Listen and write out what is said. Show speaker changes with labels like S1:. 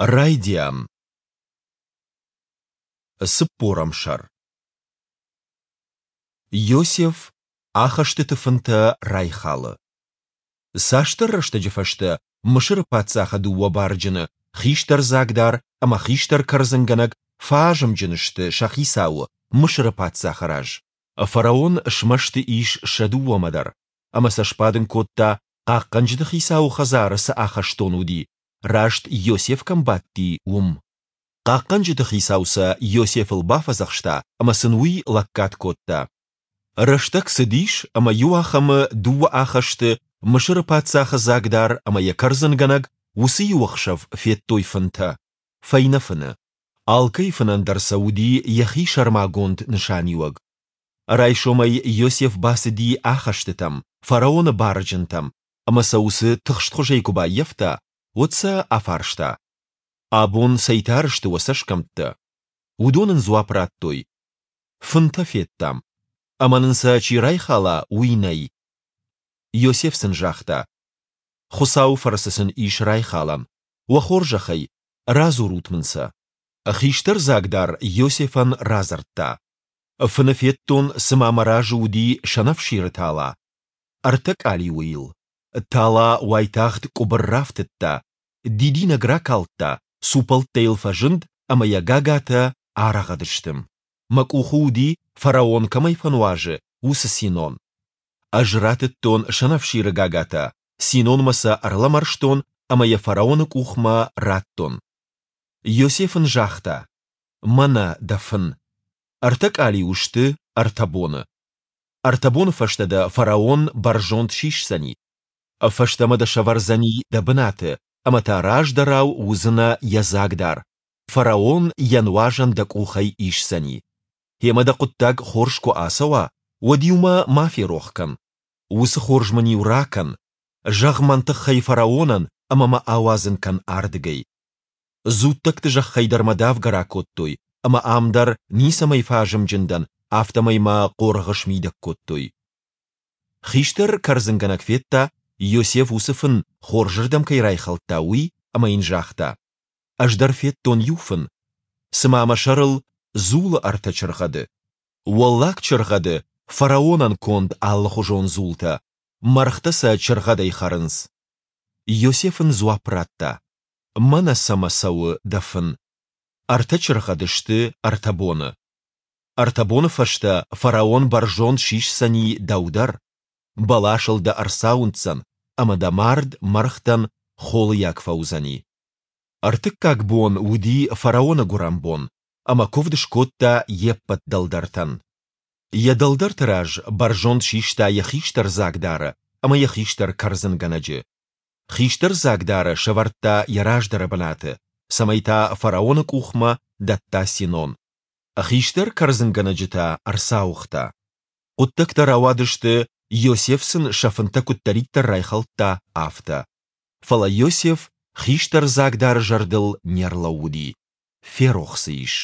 S1: Райдиан. Цыппорӕм сӕр. Иосиф ахӕстыты фынтӕ райхалы. Цасдӕр рӕстӕджы фӕстӕ Мысыры паддзахы дыууӕ барджыны, хистӕр дзагдар ӕмӕ хистӕр кӕрдзынгӕнӕг, фӕазымджын сты сӕ хицауы, Мысыры паддзахы раз. Фараон смӕсты ис сӕ дыууӕмӕ дӕр ӕмӕ сӕ сбадын кодта, хъахъхъӕнджыты хицауы хӕдзары цы ахӕстон уыди, раст Иосиф кӕм бадти, уым. Хъахъхъӕнджыты хицау сӕ Иосифыл бафӕдзӕхста ӕмӕ сын уый лӕггад кодта. Рӕстӕг цыдис, ӕмӕ иуахӕмы дыууӕ ахӕсты, Мысыры паддзахы дзагдар ӕмӕ йӕ кӕрдзынгӕнӕг, уыцы иу ӕхсӕв федтой фынтӕ, фӕйнӕ фыны. Алкӕй фынӕн дӕр сӕ уыди йӕхи сӕрмагонд нысаниуӕг. Райсомӕй Иосиф бацыди ахӕстытӕм, фараоны барджынтӕм, ӕмӕ сӕ уыцы тыхстхуызӕй куы баййӕфта, уӕд сӕ афарста: Абон цӕй тары сты уӕ цӕсгӕмттӕ? Уыдон ын дзуапп радтой: Фынтӕ федтам, ӕмӕ нын сӕ чи райхала, уый нӕй. Иосиф сын загъта: Хуыцауы фӕрцы сын ис райхалӕн. Уӕ хорзӕхӕй, радзурут мын сӕ. Хистӕр дзагдар Иосифӕн радзырдта: Фыны федтон, цыма мӕ разы уыди сӕнӕфсиры тала. Ӕртӕ къалиуы йыл. Тала уайтагъд къуыбыр рафтыдта, дидинӕг ракалдта, цупӕлттӕ йыл фӕзынд ӕмӕ йӕ гагатӕ арӕгъӕд сты. Мӕ къухы уыди, фараон кӕмӕй фӕнуазы, уыцы синон. Ӕз ратыдтон сӕнӕфсиры гагатӕ, синонмӕ сӕ ӕрлӕмӕрстон ӕмӕ йӕ фараоны къухмӕ радтон. Иосиф ын загъта: Мӕнӕ дӕ фын. Ӕртӕ къалиуы сты ӕртӕ боны. Ӕртӕ боны фӕстӕ дӕ фараон бӕрзонд сисдзӕни. Фӕстӕмӕ дӕ сӕвӕрдзӕни дӕ бынаты, ӕмӕ та раздӕрау уыдзынӕ йӕ дзагдар. Фараон йӕ нуазӕн дӕ къухӕй исдзӕни. Гъемӕ дӕ хъуыддаг хорз куы ацӕуа, уӕд-иу мӕ ма ферох кӕн. Уыцы хорз мын-иу ракӕн. Зӕгъ мӕн тыххӕй фараонӕн ӕмӕ мӕ ауадзын кӕн ардыгӕй. Дзуттӕгты зӕххӕй дӕр мӕ давгӕ ракодтой, ӕмӕ ам дӕр ницӕмӕй фӕазымджын дӕн, афтӕмӕй мӕ хъоргъы смидӕг кодтой. Хистӕр кӕрдзынгӕнӕг федта, Иосиф уыцы фын хорзырдӕм кӕй райхӕлдта, уый, ӕмӕ йын загъта: Ӕз дӕр федтон иу фын. Цыма мӕ сӕрыл дзулы ӕртӕ чыргъӕды. Уӕллаг чыргъӕды фараонӕн конд алыхуызон дзултӕ, мӕргътӕ сӕ чыргъӕдӕй хӕрынц. Иосиф ын дзуапп радта: Мӕнӕ цӕмӕ цӕуы дӕ фын. Ӕртӕ чыргъӕды сты ӕртӕ боны. Ӕртӕ боны фӕстӕ фараон бӕрзонд сисдзӕни дӕу дӕр, бӕласыл дӕ ӕрцауындздзӕн, ӕмӕ дӕ мард мӕргътӕн холыйаг фӕуыдзӕни. Ӕртыккаг бон уыди фараоны гуырӕнбон, ӕмӕ куывд скодта йе ппӕт дӕлдӕртӕн. Йӕ дӕлдӕрты раз бӕрзонд систа йӕ хистӕр дзагдары ӕмӕ йӕ хистӕр кӕрдзынгӕнӕджы. Хистӕр дзагдары сӕвӕрдта йӕ раздӕры бынаты, цӕмӕй та фараоны къухмӕ дӕтта синон. Хистӕр кӕрдзынгӕнӕджы та ӕрцауыгъта. Хъуыддӕгтӕ рауадысты, Иосиф сын сӕ фынтӕ куыддӕриддӕр райхӕлдта, афтӕ. Фӕлӕ Иосиф хистӕр дзагдары зӕрдыл не рлӕууыди, ферох дзы ис.